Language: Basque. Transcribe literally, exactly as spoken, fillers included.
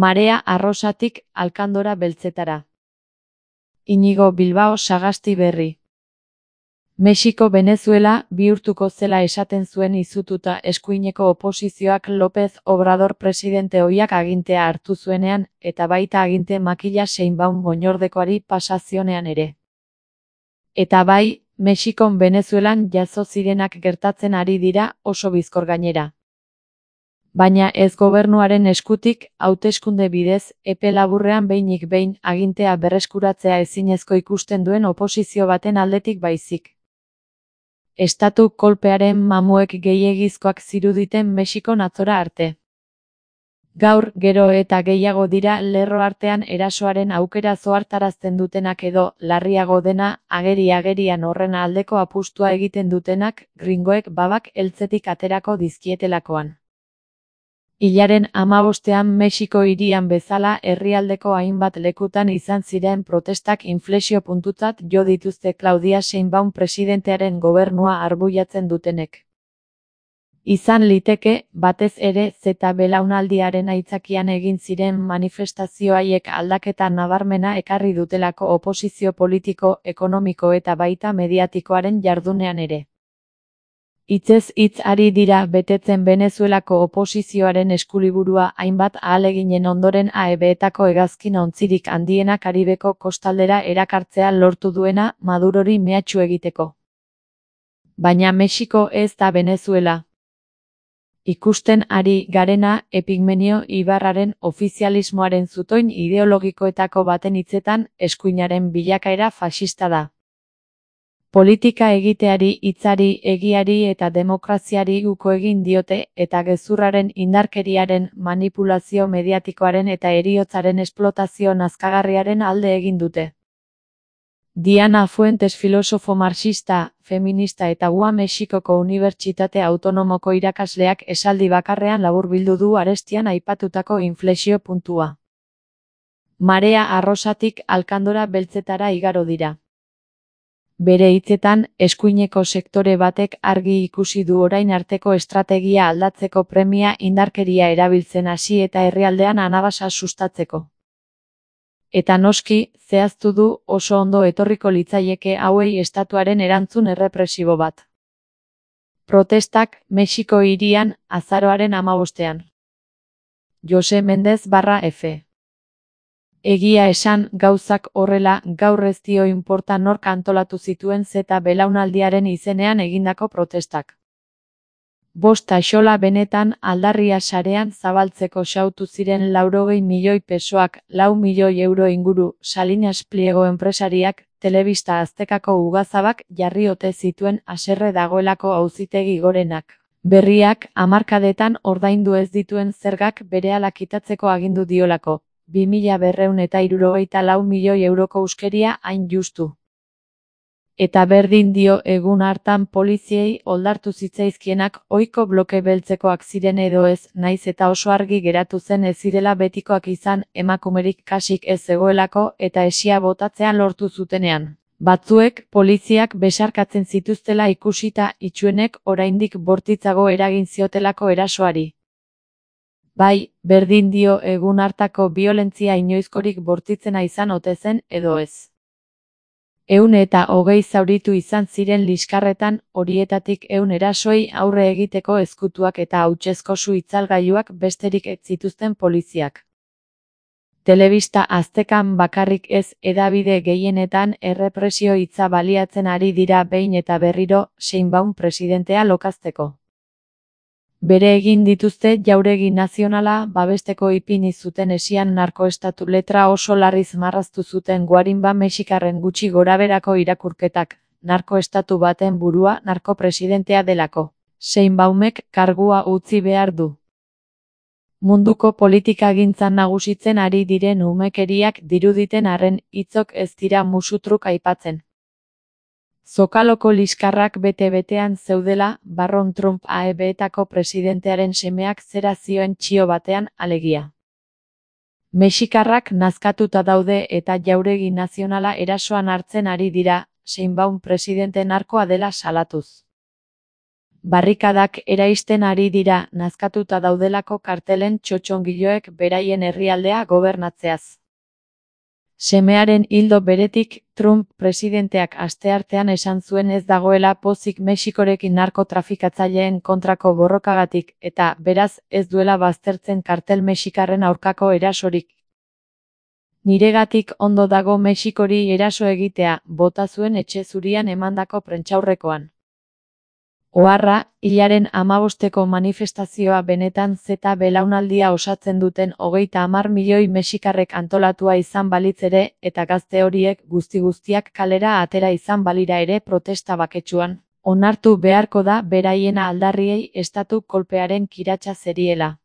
Marea Arrosatik Alkandora Beltzetara. Inigo Bilbao Sagasti berri. Mexiko Venezuela bihurtuko zela esaten zuen izututa eskuineko oposizioak López Obrador presidente ohiak agintea hartu zuenean, eta baita aginte makila Sheinbaum oinordekoari pasazionean ere. Eta bai, Mexikon Venezuelan jazo zirenak gertatzen ari dira, oso bizkor gainera. Baina ez gobernuaren eskutik, hauteskunde bidez, epe laburrean behinik behin agintea berreskuratzea ezinezko ikusten duen oposizio baten aldetik baizik. Estatu kolpearen mamuek gehiegizkoak ziruditen Mexikon atzora arte. Gaur, gero eta gehiago dira lerro artean erasoaren aukera zohartarazten dutenak edo, larriago dena, ageri-agerian horren aldeko apustua egiten dutenak, gringoek babak heltzetik aterako dizkietelakoan. Hilaren hamabostean Mexiko hirian bezala herrialdeko hainbat lekutan izan ziren protestak inflexio puntutzat jo dituzte Claudia Sheinbaum presidentearen gobernua arbuiatzen dutenek. Izan liteke, batez ere zeta belaunaldiaren aitzakian egin ziren manifestazio haiek aldaketa nabarmena ekarri dutelako oposizio politiko, ekonomiko eta baita mediatikoaren jardunean ere. Hitzez hitz ari dira betetzen Venezuelako oposizioaren eskuliburua hainbat ahaleginen ondoren A E B-etako hegazkin ontzirik handiena Karibeko kostaldera erakartzea lortu duena Madurori mehatxu egiteko. Baina Mexiko ez da Venezuela. Ikusten ari garena Epigmenio ibarraren ofizialismoaren zutoin ideologikoetako baten hitzetan eskuinaren bilakaera faxista da. Politika egiteari, hitzari, egiari eta demokraziari uko egin diote eta gezurraren indarkeriaren manipulazio mediatikoaren eta heriotzaren esplotazio nazkagarriaren alde egin dute. Diana Fuentes filosofo marxista, feminista eta U A Mexikoko Unibertsitate Autonomoko irakasleak esaldi bakarrean laburbildu du arestian aipatutako inflexio puntua. Marea Arrosatik Alkandora Beltzetara igaro dira. Bere hitzetan, eskuineko sektore batek argi ikusi du orain arteko estrategia aldatzeko premia indarkeria erabiltzen hasi eta herrialdean anabasa sustatzeko. Eta noski, zehaztu du oso ondo etorriko litzaieke hauei estatuaren erantzun errepresibo bat. Protestak Mexiko hirian azaroaren hamabostean. Jose Mendez barra F. Egia esan, gauzak horrela, gaur ez dio inporta nork antolatu zituen zeta belaunaldiaren izenean egindako protestak. Bost axola benetan aldarria sarean zabaltzeko xautu ziren laurogei milioi pesoak, lau milioi euro inguru, Salinas Pliego enpresariak, telebista aztekako ugazabak jarri ote zituen haserre dagoelako auzitegi gorenak. Berriak, hamarkadetan ordaindu ez dituen zergak berehala kitatzeko agindu diolako. bi mila berrehun eta hirurogeita lau milioi euroko uskeria hain justu. Eta berdin dio egun hartan poliziei oldartu zitzaizkienak ohiko bloke beltzekoak ziren edo ez, naiz eta oso argi geratu zen ez zirela betikoak izan, emakumerik kasik ez zegoelako eta esia botatzean lortu zutenean. Batzuek poliziak besarkatzen zituztela ikusita itsuenek oraindik bortitzago eragin ziotelako erasoari. Bai, berdin dio egun hartako biolentzia inoizkorik bortitzena izan ote zen edo ez. Ehun eta hogei zauritu izan ziren liskarretan, horietatik ehun erasoi aurre egiteko ezkutuak eta hautsezko su itzalgailuak besterik ez zituzten poliziak. Telebista aztekan bakarrik ez, hedabide gehienetan errepresio hitza baliatzen ari dira behin eta berriro Sheinbaum presidentea lokazteko. Bere egin dituzte jauregi nazionala babesteko ipini zuten esian narkoestatu letra oso larriz marraztu zuten guarinba mexikarren gutxi goraberako irakurketak, narkoestatu baten burua narkopresidentea delako. Sheinbaumek kargua utzi behar du. Munduko politikagintzan nagusitzen ari diren umekeriak diruditen arren hitzok ez dira musutruk aipatzen. Zokaloko liskarrak bete-betean zeudela, Barron Trump A E B-etako presidentearen semeak zera zioen txio batean, alegia. Mexikarrak nazkatuta daude eta jauregi nazionala erasoan hartzen ari dira, Sheinbaum presidente narkoa dela salatuz. Barrikadak eraisten ari dira, nazkatuta daudelako kartelen txotxongiloek beraien herrialdea gobernatzeaz. Semearen ildo beretik, Trump presidenteak asteartean esan zuen ez dagoela pozik Mexikorekin narkotrafikatzaileen kontrako borrokagatik, eta, beraz, ez duela baztertzen kartel mexikarren aurkako erasorik. Niregatik ondo dago Mexikori eraso egitea, bota zuen Etxe Zurian emandako prentsaurrekoan. Oharra, hilaren hamabosteko manifestazioa benetan zeta belaunaldia osatzen duten hogeita hamar milioi mexikarrek antolatua izan balitz ere, eta gazte horiek guzti-guztiak kalera atera izan balira ere protesta baketsuan, onartu beharko da beraien aldarriei estatu kolpearen kiratsa zeriela.